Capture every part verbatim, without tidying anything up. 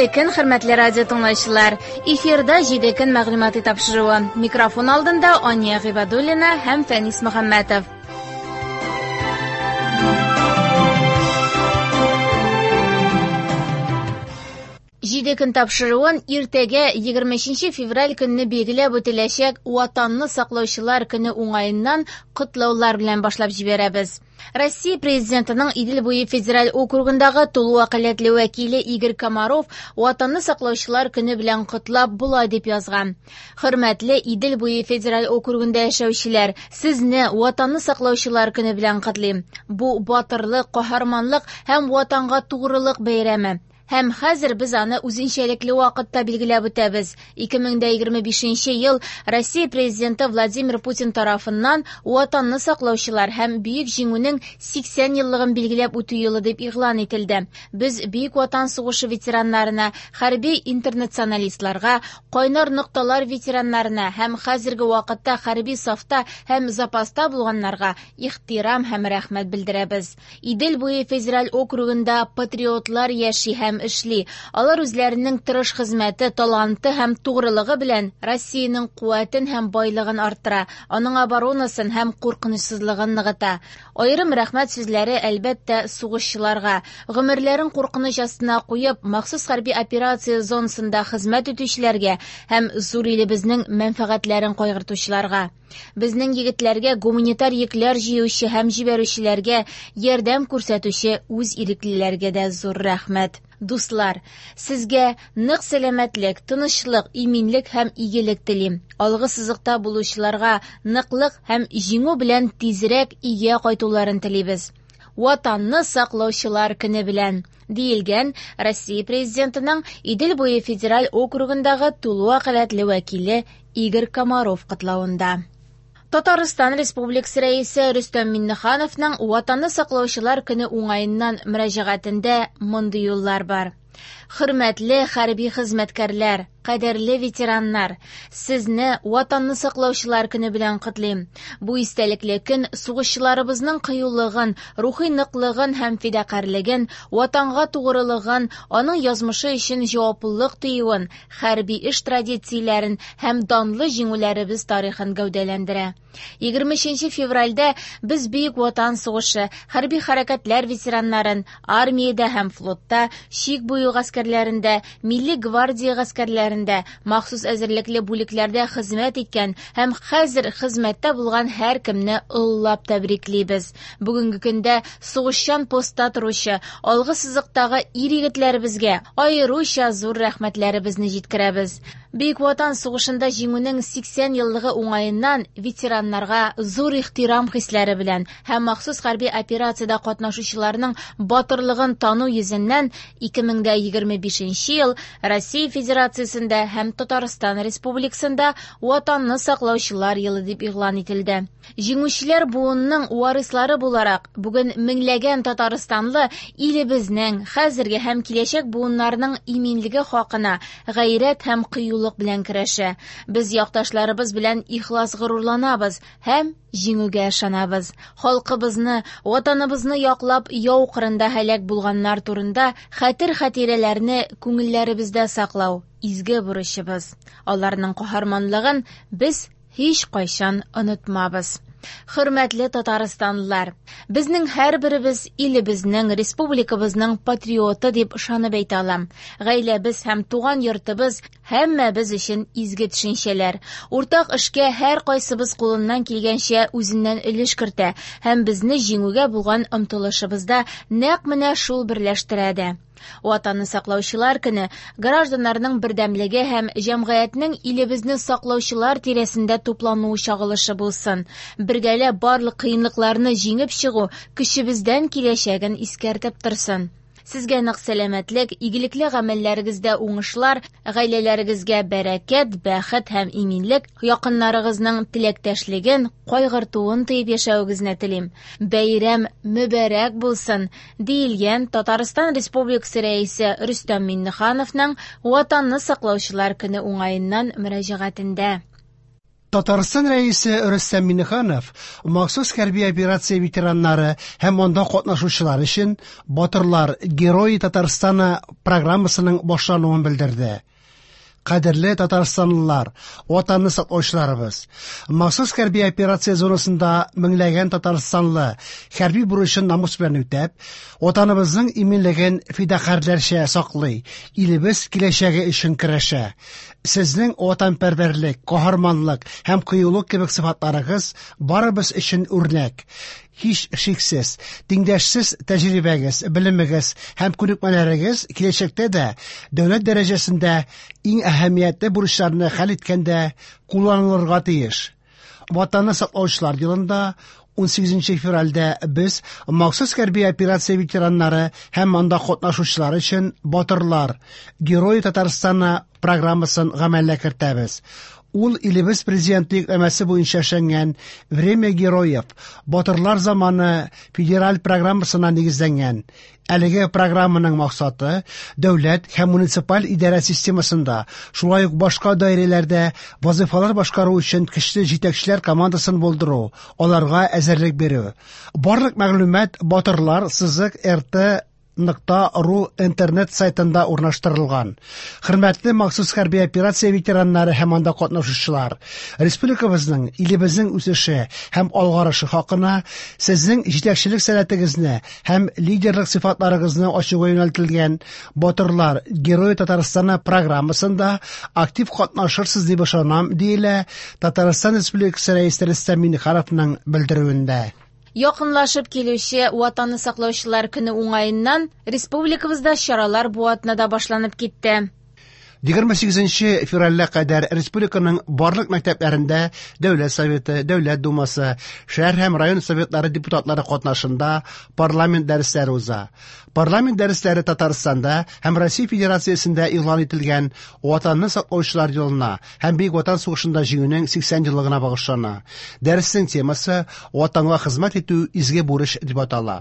Хәерле көн, хөрмәтле радио тыңлаучылар. Эфирда җиде көн мәгълүмати тапшыруы. Микрофон алдында Ания Гыйбадуллина һәм Фәнис Мөхәммәтов. Җиде көн тапшыруын иртәгә егерме өченче февраль көнне билгеләп үтеләчәк Ватанны саклаучылар көне уңаеннан котлаулар белән башлап җибәрәбез. Россия Президентының Идел буе федераль округындагы тулы вәкаләтле вәкиле Игорь Комаров Ватанны саклаучылар көне белән котлап болай дип язган. Хөрмәтле Идел буе федераль округында яшәүчеләр, сезне Ватанны саклаучылар көне белән котлыйм. Бу батырлык, каһарманлык һәм Ватанга тугрылык бәйрәме. Һәм хәзер без аны үзенчәлекле вакытта билгеләп үтәбез. ике мең дә егерме бишенче ел Россия Президенты Владимир Путин тарафыннан Ватанны саклаучылар һәм Бөек Җиңүнең сиксән еллыгын билгеләп үтү елы дип игълан ителде. Без Бөек Ватан сугышы ветераннарына, хәрби интернационалистларга, кайнар нокталар ветераннарына һәм хәзерге вакытта хәрби сафта һәм запаста булганнарга ихтирам һәм рәхмәт белдерәбез. Идел буе федераль округында патриотлар яши һәм эшли. Алар үзләренең тырыш хезмәте, таланты һәм тугрылыгы белән Россиянең куәтен һәм байлыгын арттыра, аның оборонасын һәм куркынычсызлыгын ныгыта. Аерым рәхмәт сүзләре, әлбәттә, сугышчыларга. Гомерләрен куркыныч астына куеп, махсус хәрби операция зонасында хезмәт итүчеләргә һәм зур илебезнең мәнфәгатьләрен кайгыртучыларга. Безнең егетләргә гуманитар йөкләр җыючы һәм җибәрүчеләргә ярдәм күрсәтүче үз иреклеләргә дә зур рәхмәт. Дуслар, сезгә нык сәламәтлек, тынычлык, иминлек һәм игелек телим. Алгы сызыкта булучыларга ныклык һәм җиңү белән тизрәк өйгә кайтуларын телибез. Ватанны саклаучылар көне белән, диелгән Россия Президентының Идел буе федераль округындагы тулы вәкаләтле вәкиле Игорь Комаров котлавында. Татарстан Республикасы Рәисе Рөстәм Миңнехановның Ватанны саклаучылар көне уңаеннан мөрәҗәгатендә мондый юллар бар. Хөрмәтле хәрби хезмәткәрләр, кадерле ветераннар, сезне Ватанны саклаучылар көне белән котлыйм. Бу истәлекле көн сугышчыларыбызның кыюлыгын, рухи ныклыгын һәм фидакарьлеген, Ватанга тугрылыгын, аның язмышы өчен җаваплылык тоюын, хәрби эш традицияләрен һәм данлы җиңүләребез тарихын гәүдәләндерә. Егерме өченче февральдә без Бөек Ватан сугышы, хәрби хәрәкәтләр ветераннарын, армиядә һәм флотта, чик буе гаскәрләрендә, милли гвардия гаскәрләрендә, махсус әзерлекле бүлекләрдә хезмәт иткән һәм хәзер хезмәттә булган һәркемне олылап тәбриклибез. Бүгенге көндә сугышчан постта торучы, алгы сызыктагы ир-егетләребезгә аеруча зур рәхмәтләребезне җиткерәбез. Бөек Ватан сугышында җиңүнең сиксән еллыгы уңаеннан ветераннарга зур ихтирам хисләре белән һәм махсус хәрби операциядә катнашучыларның батырлыгын тану йөзеннән ике мең дә егерме бишенче ел Россия Федерациясендә һәм Татарстан Республикасында Ватанны саклаучылар елы дип игълан ителде. Җиңүчеләр буынның варислары буларак, бүген меңләгән татарстанлы илебезнең хәзерге һәм киләчәк буыннарының иминлеге хакына гайрәт һәм кыюлык белән көрәшә. Без якташларыбыз белән ихлас горурланабыз һәм җиңүгә ышанабыз. Халкыбызны, ватаныбызны яклап яу кырында һәлак булганнар турында хәтер-хатирәләрне күңелләребездә саклау изге бурычыбыз. Аларның каһарманлыгын без һич кайчан онытмабыз. Хөрмәтле татарстанлылар, безнең һәрберебез илебезнең, республикабызның патриоты дип ышанып әйтә алам. Гаиләбез һәм туган йортыбыз һәммәбез өчен изге төшенчәләр. Уртак эшкә һәр кайсыбыз кулыннан килгәнчә үзеннән өлеш кертә һәм безне җиңүгә булган омтылышыбызда нәкъ менә шул берләштерә дә. Ватанны саклаучылар көне гражданнарның бердәмлеге һәм җәмгыятьнең илебезне саклаучылар тирәсендә туплануы чагылышы булсын. Бергәләп барлык кыенлыкларны җиңеп чыгу көчебездән киләчәген искәртеп торсын. Сезгә нык сәламәтлек, игелекле гамәлләрегездә уңышлар, гаиләләрегезгә бәрәкәт, бәхет һәм иминлек, якыннарыгызның теләктәшлеген, кайгыртуын тоеп яшәвегезне телим. Бәйрәм мөбарәк булсын, диелгән Татарстан Республикасы Рәисе Рөстәм Миңнехановның Ватанны саклаучылар көне уңаеннан мөрәҗәгатендә. Татарстан Рәисе Рөстәм Миңнеханов махсус хәрби операция ветераннары һәм анда катнашучылар өчен «Батырлар – Герои Татарстана» программасының башлануын белдерде. Кадерле татарстанлылар, Ватанны саклаучыларыбыз! Махсус хәрби операция зонасында меңләгән татарстанлы хәрби бурычын намус белән үтәп, Ватаныбызның иминлеген фидакарьләрчә саклый, илебез киләчәге өчен көрәшә. Сезнең ватанпәрвәрлек, каһарманлык һәм кыюлык кебек сыйфатларыгыз барыбыз өчен үрнәк. Һич шиксез, тиңдәшсез тәҗрибәгез, белемегез һәм күнекмәләрегез киләчәктә дә дәүләт дәрәҗәсендә иң әһәмиятле бурычларны хәл иткәндә кулланылырга тиеш. Ватанны саклаучылар елында унсигезенче февральдә без махсус хәрби операция ветераннары һәм анда катнашучылар өчен «Батырлар – Герои Татарстана» программасын гамәлгә кертәбез. Ул илебез президенты йөкләмәсе буенча эшләнгән «Время героев» Батырлар заманы федераль программасына нигезләнгән. Әлеге программаның максаты дәүләт һәм муниципаль идарә системасында, шулай ук башка даирәләрдә вазифалар башкару өчен көчле җитәкчеләр командасын булдыру, аларга әзерлек бирү. Барлык мәгълүмат батырлар сызык рт нокта ру интернет сайтында урнаштырылган. Хөрмәтле махсус хәрби операция ветераннары һәм анда катнашучылар, республикабызның, илебезнең үсеше һәм алгарышы хакына сезнең җитәкчелек сәләтегезне һәм лидерлык сыйфатларыгызны ачуга юнәлтелгән «Батырлар – Герои Татарстана» программасында актив катнашырсыз дип ышанам, диелә Татарстан Республикасы Рәисе Рөстәм Миңнехановның белдерүендә. Якынлашып килүче Ватанны саклаучылар көне уңаеннан республикабызда чаралар бу атнада башланып китте. Егерме сигезенче февральгә кадәр республиканың барлык мәктәпләрендә Дәүләт Советы, Дәүләт Думасы, шәһәр һәм район советлары депутатлары катнашында парламент дәресләре уза. Парламент дәресләре Татарстанда һәм Россия Федерациясендә игълан ителгән Ватанны саклаучылар елына һәм Бөек Ватан сугышында җиңүнең сиксән еллыгына багышлана. Дәреснең темасы Ватанга хезмәт итү изге бурыч дип атала.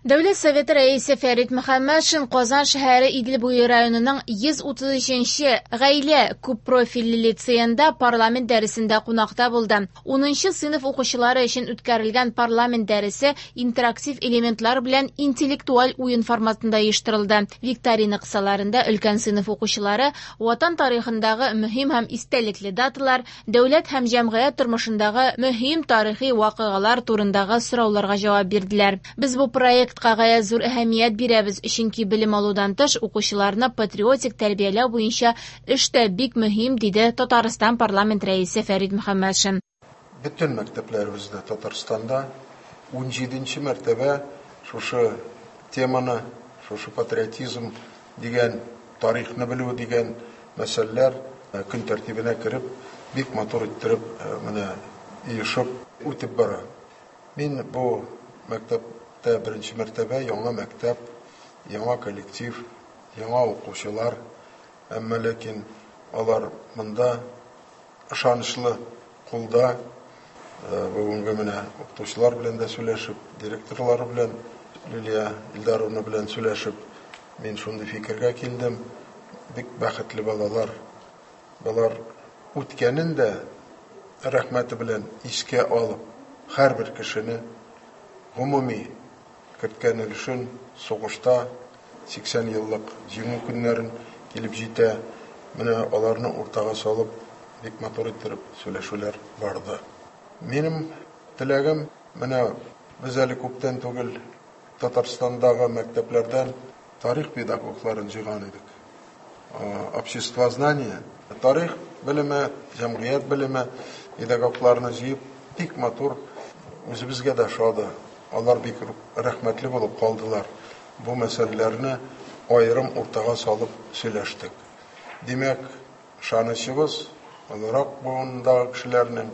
Дәүләт Советы рәисе Фәрит Мөхәммәтшин Казан шәһәре Идел буе районының йөз утыз өченче гаилә күппрофильле лицеенда парламент дәресендә кунакта булды. Унынчы сыйныф укучылары өчен үткәрелгән парламент дәресе интерактив элементлар белән интеллектуаль уен форматында оештырылды. Викторина кысаларында өлкән сыйныф укучылары Ватан тарихындагы мөһим һәм истәлекле даталар, дәүләт һәм җәмгыять тормышындагы мөһим тарихи вакыйгалар турындагы сорауларга җавап бирделәр. Без бу проект гаять зур әһәмият бирәбез, чөнки белем алудан тыш укучыларны патриотик тәрбияләү буенча эш тә бик мөһим, диде Татарстан парламент рәисе Фәрит Мөхәммәтшин. Бөтен мәктәпләребездә Татарстанда ун җиденче мәртәбә шушы теманы, шушы патриотизм дигән, тарихны белү дигән мәсьәләләр көн тәртибенә кереп, бик матур иттереп менә оешып үтеп бара. Мин бу мәктәп беренче мәртәбә яңа мәктәп, яңа коллектив, яңа укучылар, әмма ләкин алар монда ышанычлы кулда. Бүгенге менә укытучылар белән дә сөйләшеп, директорлар белән, Лилия Илдаровна белән сөйләшеп, мин шундый фикергә килдем. Бик бәхетле балалар. Балар үткәнен дә рәхмәте белән искә алып, һәрбер кешене гомуми керткән өлешен сугышта сиксән еллык җиңү көннәрен килеп җитә. Менә аларны уртага салып, бик матур иттереп сөйләшүләр барды. Минем теләгем, менә без әле күптән түгел Татарстандагы мәктәпләрдән тарих педагогларын җыйган идек. Обществознание, тарих белеме, җәмгыять белеме педагогларны җыеп, бик матур үзебезгә дә ошады. Алар бик рәхмәтле булып калдылар. Бу мәсьәләләрне аерым уртага салып сөйләштек. Димәк, ышанычыбыз олырак буындагы кешеләрнең,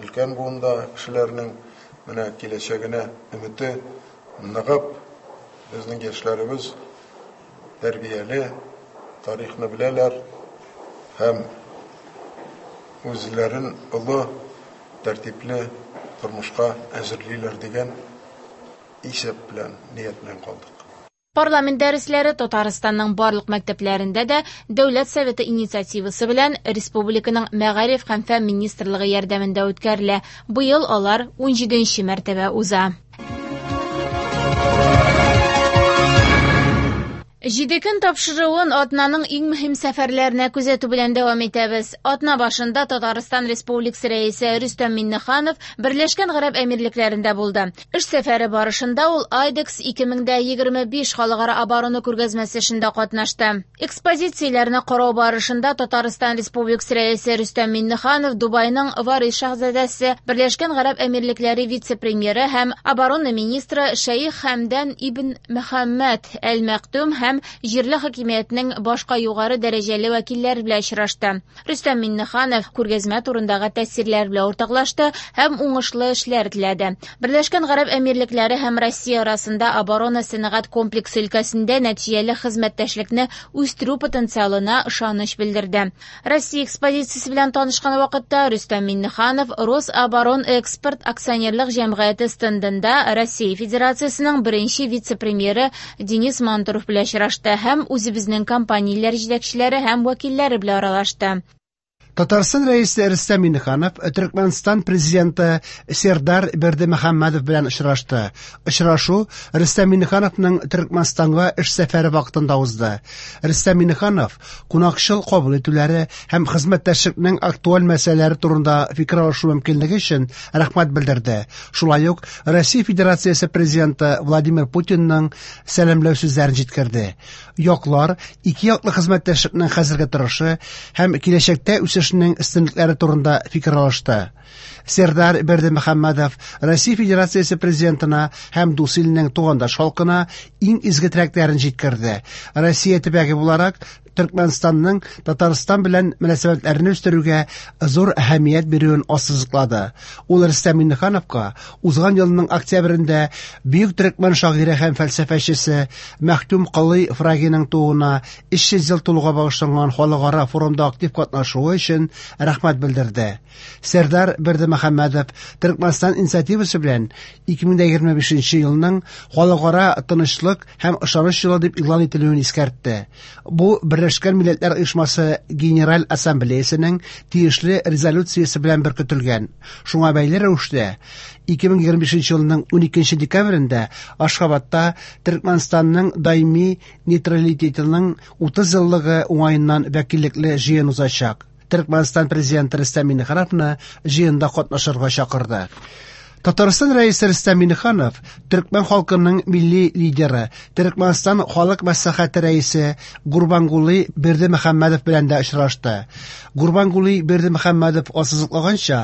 өлкән буындагы кешеләрнең менә киләчәгенә өмете ныгып, безнең яшьләребез тәрбияле, тарихны беләләр һәм үзләрен олы, тәртипле тормышка әзерлиләр дигән исәп белән, ният белән калдык. Парламент дәресләре Татарстанның барлык мәктәпләрендә дә Дәүләт Советы инициативасы белән республиканың Мәгариф һәм фән министрлыгы ярдәмендә үткәрелә. Быел алар ун җиденче мәртәбә уза. Җиде көн тапшыруын атнаның иң мөһим сәфәрләренә күзәтү белән дәвам итәбез. Атна башында Татарстан Республикасы рәисе Рөстәм Миңнеханов Берләшкән Гарәп Әмирлекләрендә булды. Эш сәфәре барышында ул Айдекс ике мең егерме биш халыкара оборона күргәзмәсе эшендә катнашты. Экспозицияләрне карау барышында Татарстан Республикасы рәисе Рөстәм Миңнеханов Дубайның Варис шаһзадәсе, Берләшкән Гарәп Әмирлекләре вице-премьеры һәм оборона министры Шәйх Хәмдан ибн Мөхәммәд әл-Мәктум һәм җирле хакимиятнең башка югары дәрәҗәле вәкилләре белән очрашты. Рөстәм Миңнеханов күргәзмә турындагы тәэсирләр белән уртаклашты һәм уңышлы эшләр теләде. Берләшкән Гарәп Әмирлекләре һәм Россия арасында оборона сәнәгать комплексы өлкәсендә нәтиҗәле хезмәттәшлекне үстерү потенциалына ышаныч белдерде. Россия экспозициясе белән танышкан вакытта Рөстәм Миңнеханов Рособоронэкспорт акционерлык җәмгыяте стендында Россия Федерациясенең беренче вице-премьеры Денис Мантуров белән очрашты һәм үзебезнең компанияләр җитәкчеләре һәм вәкилләре белән аралашты. Татарстан рәисе Рөстәм Миңнеханов Төркмәнстан президенты Сердар Бердымөхәммәдов белән очрашты. Очрашу Рөстәм Миңнехановның Төркмәнстанга эш сәфәре вакытында узды. Рөстәм Миңнеханов кунакчыл кабул итүләре һәм хезмәттәшлекнең актуаль мәсьәләләре турында фикер алышу мөмкинлеге өчен рәхмәт белдерде. Шулай ук Россия Федерациясе президенты Владимир Путинның сәламләү сүзләрен җиткерде. Яклар ике яклы хезмәттәшлекнең хәзерге торышы һәм киләчәктә үсеш өстенлекләре турында фикер алышты. Сердар Бердымөхәммәдов Россия Федерациясе президентына һәм дус иленең тугандаш халкына иң изге теләкләрен җиткерде. Россия төбәге буларак Төркмәнстанның Татарстан белән мөнәсәбәтләрен үстерүгә зур әһәмият бирүен ассызыклады. Ул Рөстәм Миңнехановка узган елның октябрендә бөек төркмән шагыйре һәм фәлсәфәчесе Мәхтүм Кылый Фрагиның тууына өч йөз ел тулуга багышланган халыкара форумда актив катнашуы өчен рәхмәт белдерде. Сердар Бердымөхәммәдов Төркмәнстан инициативасы белән ике мең егерме бишенче елның халыкара тынычлык һәм ышаныч елы дип игълан ителүен искәртте. Бу Берләшкән Милләтләр Оешмасы Генераль Ассамблеясының тиешле резолюциясе белән беркетелгән. Шуңа бәйле рәвештә ике мең егерме бишенче елның уникенче декабрендә Ашхабадта Төркмәнстанның даими нейтралитетының утыз еллыгы уңаеннан вәкиллекле җыен узачак. Төркмәнстан президенты Рөстәм Миңнехановны җыенда катнашырга чакырды. Татарстан рәисе Рөстәм Миңнеханов төркмән халкының милли лидеры, Төркмәнстан халык мәслихәте рәисе Гурбангулы Бердымөхәммәдов белән дә очрашты. Гурбангулы Бердымөхәммәдов ассызыклаганча,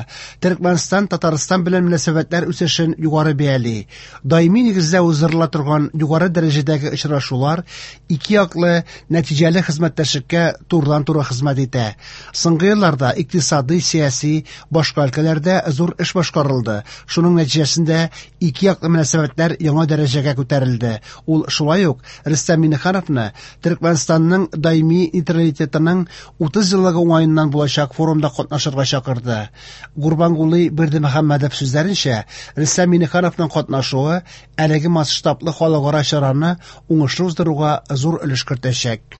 Төркмәнстан Татарстан белән мөнәсәбәтләр үсешен югары бәяли. Даими нигездә уздырыла торган югары дәрәҗәдәге очрашулар ике яклы нәтиҗәле хезмәттәшлеккә турыдан-туры хезмәт итә. Соңгы елларда икътисади, сәяси, башка өлкәләрдә зур эш башкарылды. Шуның нәтиҗәсендә ике яклы мөнәсәбәтләр яңа дәрәҗәгә күтәрелде. Ул шулай ук Рөстәм Миңнехановны Төркмәнстанның даими нейтралитетының утыз еллыгы уңаеннан булачак форумда катнашырга чакырды. Гурбангулы Бердымөхәммәдов сүзләренчә, Рөстәм Миңнехановның катнашуы әлеге масштаблы халыкара чараны уңышлы уздыруга зур өлеш кертәчәк.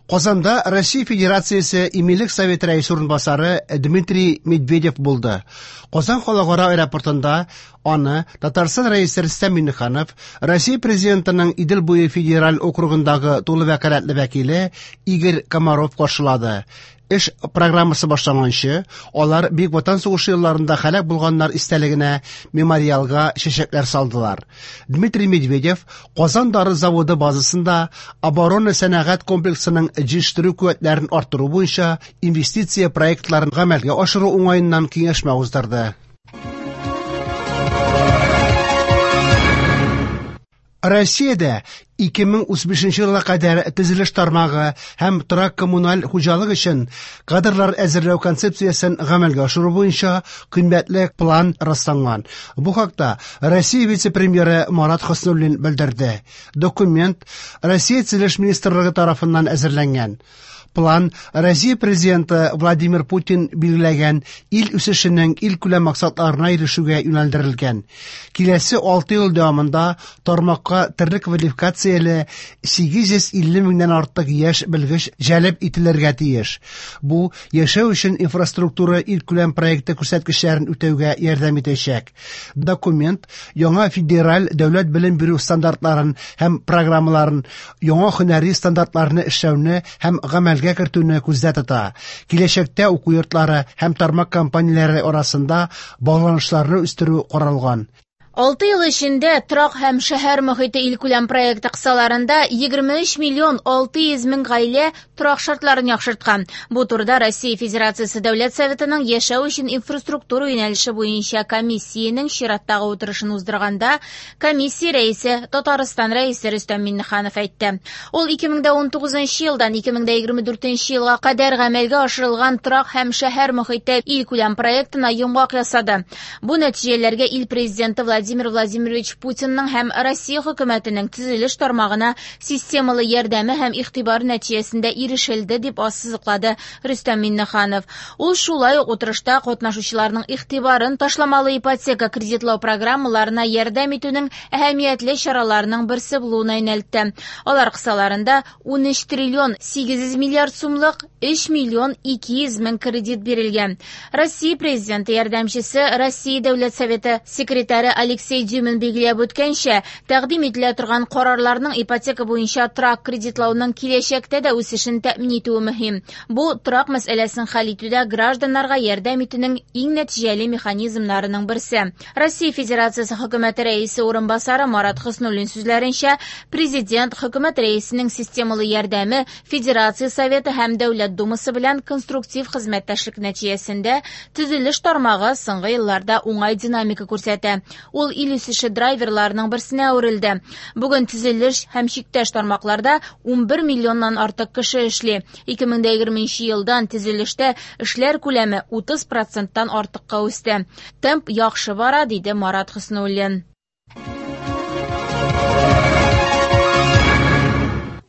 Казанда Россия Федерациясе Иминлек Советы рәисе урынбасары Дмитрий Медведев булды. Казан халыкара аэропортында аны Татарстан рәисе Рөстәм Миңнеханов, Россия президентының Идел буе федераль округындагы тулы вәкаләтле вәкиле Игорь Комаров каршылады. Эш программасы башланганчы, алар Бөек Ватан сугышы елларында һәлак булганнар истәлегенә мемориалга чәчәкләр салдылар. Дмитрий Медведев Казан дары заводы базасында оборона сәнәгать комплексының җитештерү куәтләрен арттыру буенча инвестиция проектларын гамәлгә ашыру уңаеннан киңәшмә уздырды. Россиядә ике мең утыз бишенче елга кадәр төзелеш тармагы һәм торак коммуналь хуҗалык өчен кадрлар әзерләү концепциясен гамәлгә ашыру буенча кыйммәтле план расланган. Бу хакта Россия вице-премьеры Марат Хөснуллин белдерде. Документ Россия төзелеш министрлыгы тарафыннан әзерләнгән. План Россия президенты Владимир Путин билгеләгән ил үсешенең илкүләм максатларына ирешүгә юнәлдерелгән. Киләсе алты ел дәвамында тармакка төрле квалификацияле сигез йөз илле меңнән артык яшь белгеч җәлеп ителергә тиеш. Бу яшәү өчен инфраструктура илкүләм проекты күрсәткечләрен үтәүгә ярдәм итәчәк. Документ яңа федераль дәүләт белем бирү стандартларын һәм программаларын, яңа һөнәри стандартларны эшләүне һәм гамәлгә кертүне күздә тота. Киләчәктә уку йортлары һәм тармак компанияләре арасында багланышларны үстерү каралган. Алты ел эчендә торак һәм шәһәр мөхите илкүләм проекты кысаларында егерме өч миллион алты йөз мең гаилә торак шартларын яхшырткан. Бу турыда Россия Федерациясе Дәүләт Советының яшәү өчен инфраструктура юнәлеше буенча комиссиянең чираттагы утырышын уздырганда комиссия рәисе Татарстан рәисе Рөстәм Миңнеханов әйтте. Ул ике мең дә унтугызынчы елдан ике мең дә егерме дүртенче елга кадәр гамәлгә ашырылган торак һәм шәһәр мөхите илкүләм проектына йомгак ясады. Бу нәтиҗәләргә ил президенты Владимир Владимир Владимирович Путинның һәм Россия хөкүмәтенең төзелеш тармагына системалы ярдәме һәм игътибар нәтиҗәсендә ирешелде, дип ассызыклады Рөстәм Миңнеханов. Ул шулай ук утырышта катнашучыларның игътибарын ташламалы ипотека кредитлау программаларына ярдәм итүнең әһәмиятле чараларының берсе булуына юнәлтте. Алар кысаларында ун өч триллион сигез йөз миллиард сумлык өч миллион ике йөз мең кредит бирелгән. Россия президенты ярдәмчесе, Россия Дәүләт Советы секретаре Алексей Дюмин билгеләп үткәнчә, тәкъдим ителә торган карарларның ипотека буенча торак кредитлауның киләчәктә дә үсешен тәэмин итүе мөһим. Бу торак мәсьәләсен хәл итүдә гражданнарга ярдәм итүнең иң нәтиҗәле механизмнарының берсе. Россия Федерациясе хөкүмәте рәисе урынбасары Марат Хөснуллин сүзләренчә, президент хөкүмәт рәисенең системалы ярдәме Федерация Советы һәм Дәүләт Думасы белән конструктив хезмәттәшлек нәтиҗәсендә төзелеш тармагы соңгы елларда уңай динамика күрсәтә. Ул ил үсеше драйверларының берсенә әверелде. Бүген төзелеш һәм чиктәш тармакларда ун бер миллионнан артык кеше эшли. ике мең дә егерменче елдан төзелештә эшләр күләме утыз проценттан артыкка үсте. Темп яхшы бара, диде Марат Хөснуллин.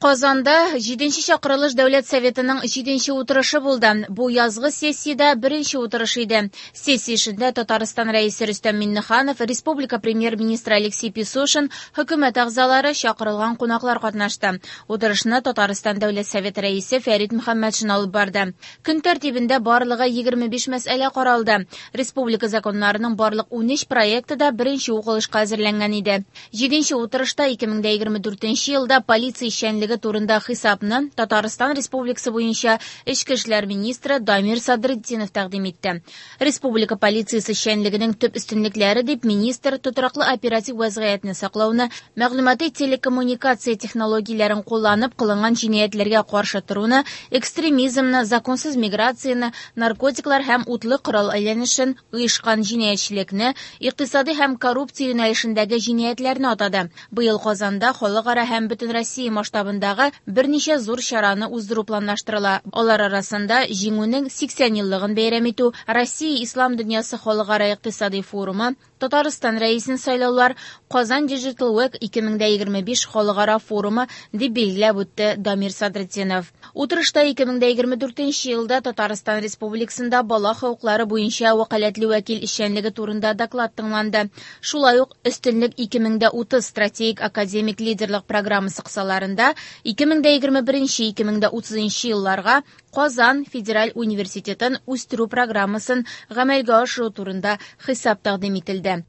Казанда җиденче чакырылыш Дәүләт Советының җиденче утырышы булды. Бу язгы сессиядә беренче утырыш иде. Сессия эшендә Татарстан рәисе Рөстәм Миңнеханов, республика премьер-министры Алексей Песошин, хөкүмәт әгъзалары, чакырылган кунаклар катнашты. Утырышны Татарстан Дәүләт Советы рәисе Фәрит Мөхәммәтшин алып барды. Көн тәртибендә барлыгы егерме биш мәсьәлә каралды. Республика законнарының барлык ун өч проекты да беренче укылышка әзерләнгән иде. Җиденче утырышта ике мең дә егерме дүртенче елда полиция эшчәнлеге турында хисапны Татарстан Республикасы буенча Эчке эшләр министры Дамир Садретдинов тәкъдим итте. Республика полициясе эшчәнлегенең төп өстенлекләре дип министр тотрыклы оператив вазгыятьне саклауны, мәгълүмати телекоммуникация технологияләрен кулланып кылынган җинаятьләргә каршы торуны, экстремизмны, законсыз миграцияне, наркотиклар һәм утлы корал әйләнешен, оешкан җинаятьчелекне, икътисади һәм коррупция юнәлешендәге җинаятьләрне атады. Быел Казанда халыкара һәм бөтен Россия масштабында берничә зур чараны уздыру планлаштырыла. Алар арасында Җиңүнең сиксән еллыгын бәйрәм итү, Россия Ислам дөньясы халыкара икътисади форумы, Татарстан рәисен сайлаулар, Казан Digital Week ике мең дә егерме биш халыкара форумы дип билгеләп үтте Дамир Садретдинов. Утырышта ике мең дә егерме дүртенче елда Татарстан Республикасында бала хокуклары буенча вәкаләтле вәкил эшчәнлеге турында доклад тыңланды. Шулай ук Өстенлек ике мең дә утыз стратегик академик лидерлык программасы кысаларында ике мең дә егерме беренче ике мең дә утызынчы елларга Казан Федераль университетын үстерү программасын гамәлгә ашыру турында хисап тәкъдим ителде.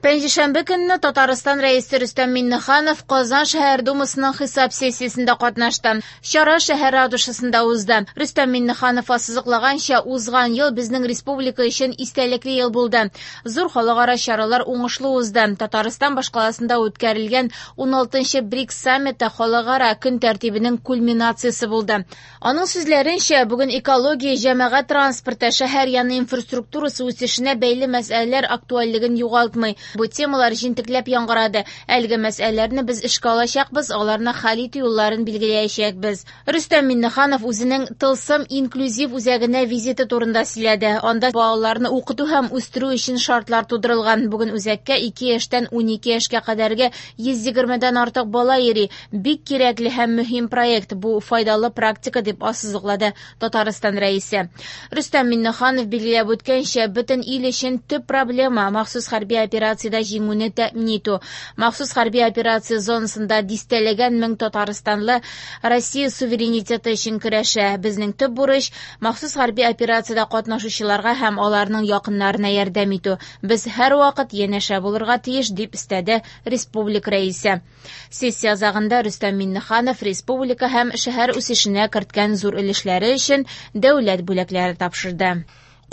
Пәнҗешәмбе көнне Татарстан рәисе Рөстәм Миңнеханов Казан шәһәр думасының хисап сессиясендә катнашты. Чара шәһәр ратушасында узды. Рөстәм Миңнеханов ассызыклаганча, узган ел безнең республика өчен истәлекле ел булды. Зур халыкара чаралар уңышлы узды. Татарстан башкаласында үткәрелгән ун алтынчы БРИКС саммиты халыкара көн тәртибенең кульминациясе булды. Аның сүзләренчә, бүген экология, җәмәгать транспорты, шәһәр яны инфраструктурасы үсешенә бәйле мәсьәләләр актуальлеген югалтмый. Бу темалар җентекләп яңгырады. Әлеге мәсьәләләрне без эшкә алачакбыз, аларны хәл итү юлларын билгеләячәкбез. Рөстәм Миңнеханов үзенең Тылсым инклюзив үзәгенә визиты турында сөйләде. Анда балаларны укыту һәм үстерү өчен шартлар тудырылган. Бүген үзәккә ике яшьтән унике яшькә кадәрге йөз егермедән артык бала йөри. Бик кирәкле һәм мөһим проект бу, файдалы практика, дип ассызыклады Татарстан рәисе. Рөстәм Миңнеханов билгеләп үткәнчә, бөтен ил өчен төп проблема махсус хәрби операциядә җиңүне тәэмин итү. Махсус хәрби операция зонасында дистәләгән мең татарстанлы Россия суверенитеты өчен көрәшә. Безнең төп бурыч махсус хәрби операциядә катнашучыларга һәм аларның якыннарына ярдәм итү. Без һәрвакыт янәшә булырга тиеш, дип өстәде республика рәисе. Сессия азагында Рөстәм Миңнеханов республика һәм шәһәр үсешенә керткән зур өлешләре өчен дәүләт бүләкләре тапшырды.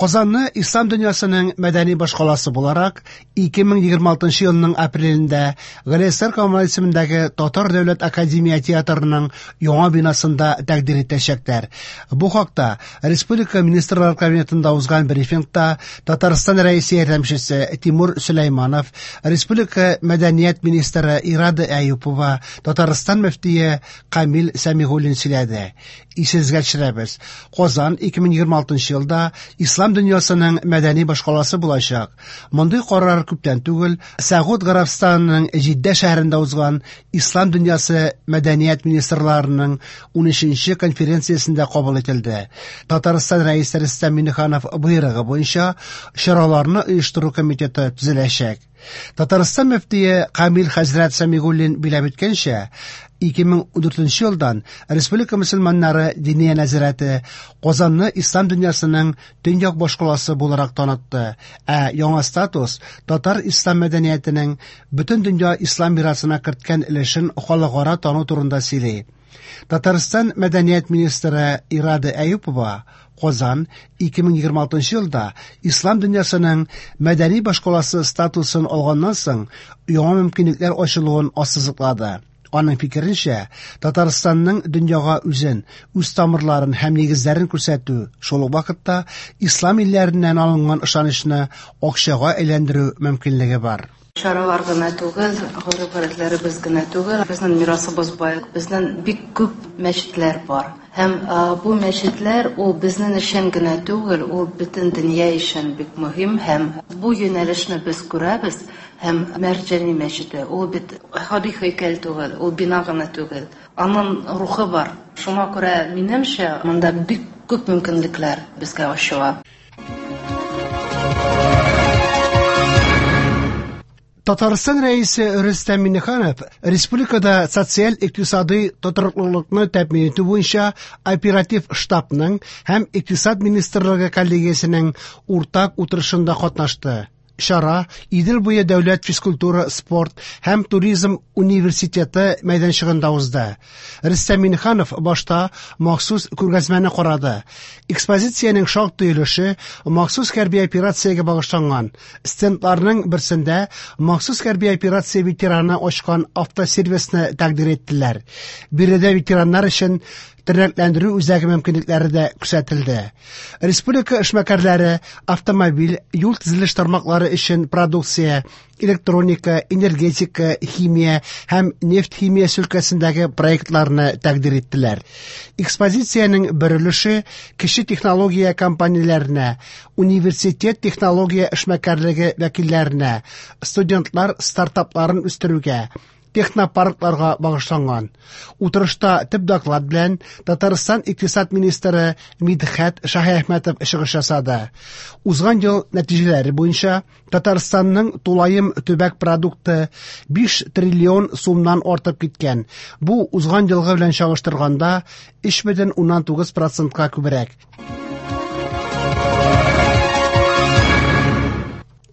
Казанны ислам дөньясының мәдәни башкаласы буларак ике мең егерме алтынчы елның апрелендә Галиәсгар Камал исемендәге Татар дәүләт академия театрының яңа бинасында тәкъдир итәчәкләр. Бу хакта Республика Министрлар Кабинетында узган брифингта Татарстан рәисе ярдәмчесе Тимур Сөләйманов, Республика мәдәният министры Ирада Әюпова, Татарстан мөфтие Камил Сәмигуллин сөйләде. Исегезгә төшерәбез, Казан ике мең егерме алтынчы елда ислам дөньясының мәдәни башкаласы булачак. Мондый карар күптән түгел Сәгуд Гарәбстанының Җиддә шәһәрендә узган Ислам дөньясы мәдәният министрларының унөченче конференциясендә кабул ителде. Татарстан рәисе Рөстәм Миңнеханов боерыгы буенча чараларны оештыру комитеты төзеләчәк. Татарстан мөфтие Камил хәзрәт Сәмигуллин биләп үткәнчә, ике мең ундүртенче елдан Республика мөселманнары Диния нәзарәте Казанны ислам дөньясының төньяк башкаласы буларак танытты, ә яңа статус татар ислам мәдәниятенең бөтен дөнья ислам мирасына керткән өлешен халыкара тану турында сөйли. Татарстан мәдәният министры Ирада Әюпова Казан ике мең егерме алтынчы елда ислам дөньясының мәдәни башкаласы статусын алганнан соң яңа мөмкинлекләр ачылуын ассызыклады. Аның фикеренчә, Татарстанның дөньяга үзен, үз тамырларын һәм нигезләрен күрсәтү, шул ук вакытта ислам илләреннән алынган ышанычны акчага әйләндерү мөмкинлеге бар. Чаралар гына түгел, гореф-гадәтләребез генә түгел, безнең мирасыбыз бай, безнең бик күп мәчетләр бар. Һәм, а, бу мәчетләр ул безнең өчен генә түгел, ул бөтен дөнья өчен бик мөһим һәм бу юнәлешне без күрәбез. Һәм Мәрҗани мәчете, ул бит гади һәйкәл түгел, ул бина гына түгел. Аның рухы бар. Шуңа күрә, минемчә, монда бик күп мөмкинлекләр безгә ачыла. Татарстан рәисе Рөстәм Миңнеханов республикада социаль-икътисади тотрыклылыкны тәэмин итү буенча оператив штабның һәм Икътисад министрлыгы коллегиясенең уртак утырышында катнашты. Чара Идел буе дәүләт физкультура, спорт һәм туризм университеты мәйданчыгында узды. Рөстәм Миңнеханов башта махсус күргәзмәне карады. Экспозициянең шактый өлеше махсус хәрби операциягә багышланган. Стендларның берсендә махсус хәрби операция ветераны ачкан автосервисны тәкъдир иттеләр. Биредә ветераннар өчен тернәкләндерү үзәге мөмкинлекләре дә күрсәтелде. Республика эшмәкәрләре автомобиль, юл төзелеш тармаклары өчен продукция, электроника, энергетика, химия һәм нефть химиясе өлкәсендәге проектларны тәкъдир иттеләр. Экспозициянең бер өлеше кече технология компанияләренә, университет технология эшмәкәрлеге вәкилләренә, студентлар стартапларын үстерүгә, технопаркларга багышланган. Утырышта төп доклад белән Татарстан икътисад министры Мидхәт Шаһиәхмәтов чыгыш ясады. Узган ел нәтиҗәләре буенча Татарстанның тулаем төбәк продукты биш триллион сумнан артып киткән. Бу узган елгы белән чагыштырганда өч бөтен уннан тугыз процентка күбрәк.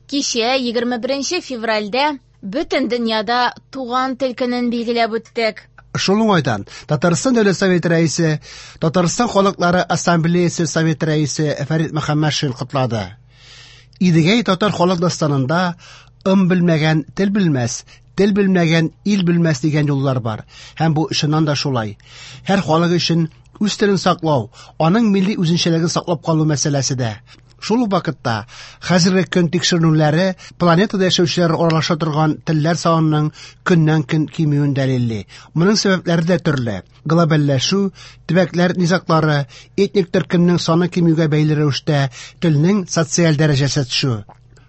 Кичә егерме беренче февральдә бөтен дөньяда туган тел көнен билгеләп үттек. Шул уңайдан Татарстан Дәүләт Советы рәисе, Татарстан Халыклары Ассамблеясы Советы рәисе Фәрит Мөхәммәтшин котлады. Идегәй татар халык дастанында ым белмәгән тел белмәс, тел белмәгән ил белмәс дигән юллар бар. Һәм бу чыннан да шулай. Һәр халык өчен үз телен саклау, аның милли үзенчәлеген саклап калу мәсьәләсе дә. Шул ук вакытта хәзерге көн тикшеренүләре планетада яшәүчеләр аралаша торган телләр санының көннән-көн кимүен дәлилли. Моның сәбәпләре дә төрле: глобальләшү, төбәкләр низаглары, этник төркемнең саны кимүгә бәйле рәвештә телнең социаль дәрәҗәсе төшү.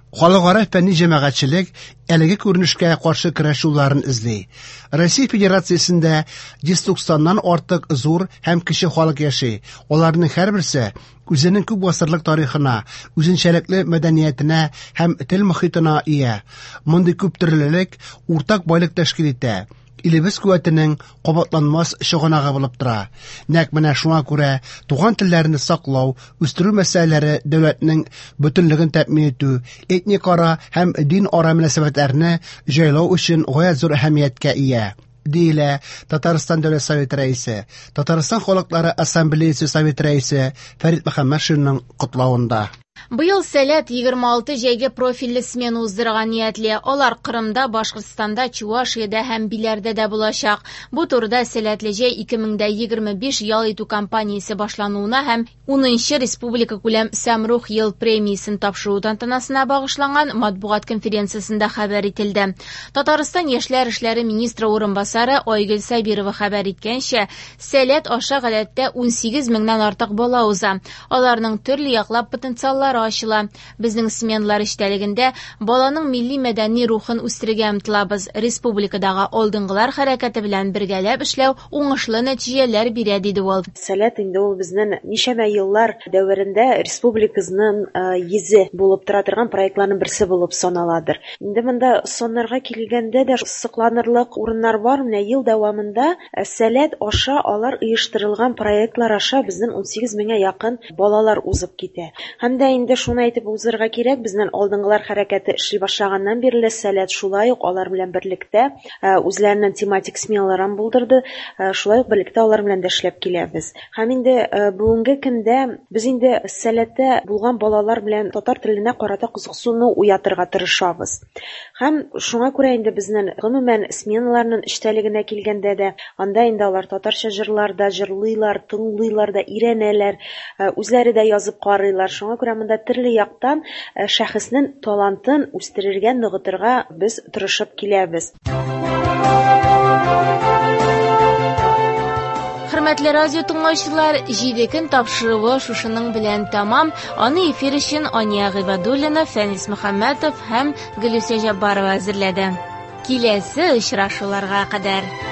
Халыкара фәнни җәмәгатьчелек әлеге күренешкә каршы көрәш юлларын эзли. Россия Федерациясендә йөз туксаннан артык зур һәм кече халык яши. Аларның һәрберсе үзенең күп гасырлык тарихына, үзенчәлекле мәдәниятенә һәм тел мохитына ия. Мондый күптөрлелек уртак байлык тәшкил итә. Илебез куәтенең кабатланмас чыганагы булып тора. Нәкъ менә шуңа күрә туган телләрне саклау, үстерү мәсьәләләре дәүләтнең бөтенлеген тәэмин итү, этник ара һәм дин ара мөнәсәбәтләрне җайлау өчен гаять зур әһәмияткә ия, диелә Татарстан Дәүләт Советы рәисе, Татарстан халыклары ассамблеясы Советы рәисе Фәрит Мөхәммәтшинның котлавында. Быел Сәләт егерме алты җәйге профильле смена уздырырга ниятли. Алар Кырымда, Башкортстанда, Чувашиядә һәм Биләрдә дә булачак. Бу турыда Сәләтле җәй ике мең дә егерме биш ял итү кампаниясе башлануына һәм унынчы республика күләм Сәмрух ел премиясен тапшыру тантанасына багышланган матбугат конференциясендә хәбәр ителде. Татарстан яшьләр эшләре министры урынбасары Айгөл Сабирова хәбәр иткәнчә, Сәләт аша гадәттә унсигез меңнән артык бала уза. Аларның төрле яклап потенциаллары ачыла. Безнең сменалар эчтәлегендә баланың милли мәдәни рухын үстерергә омтылабыз. Республикадагы алдынгылар хәрәкәте белән бергәләп эшләү уңышлы нәтиҗәләр бирә, диде ул. Сәләт инде ул безнең ничәмә еллар дәверендә республикабызның йөзе булып тора торган проектларның берсе булып саналадыр. Инде монда саннарга килгәндә дә сокланырлык урыннар бар. Менә ел дәвамында Сәләт аша алар оештырылган проектлар аша безнең унсигез меңгә якын балалар узып китә. Һәм дә инде шуны әйтеп узырга кирәк, безнең алдынгылар хәрәкәте эшли башлаганнан бирле Сәләт шулай ук алар белән берлектә үзләренең тематик сменаларын булдырды, шулай ук берлектә алар белән дә эшләп киләбез. Һәм инде бүгенге көндә без инде Сәләттә булган балалар белән татар теленә карата кызыксыну уятырга тырышабыз. Һәм шуңа күрә инде безнең гомумән сменаларның эчтәлегенә килгәндә дә, анда инде алар татарча җырлар да җырлыйлар, тыңлыйлар да, өйрәнәләр, үзләре дә язып карыйлар. Шуңа күрә монда төрле яктан шәхеснең талантын үстерергә, ныгытырга без тырышып киләбез. Хөрмәтле радио тыңлаучылар, җиде көн тапшыруы шушының белән тәмам. Аны эфир өчен Ания Гыйбадуллина, Фәнис Мөхәммәтов һәм Гөлүсә Җаббарова әзерләде. Киләсе очрашуларга кадәр.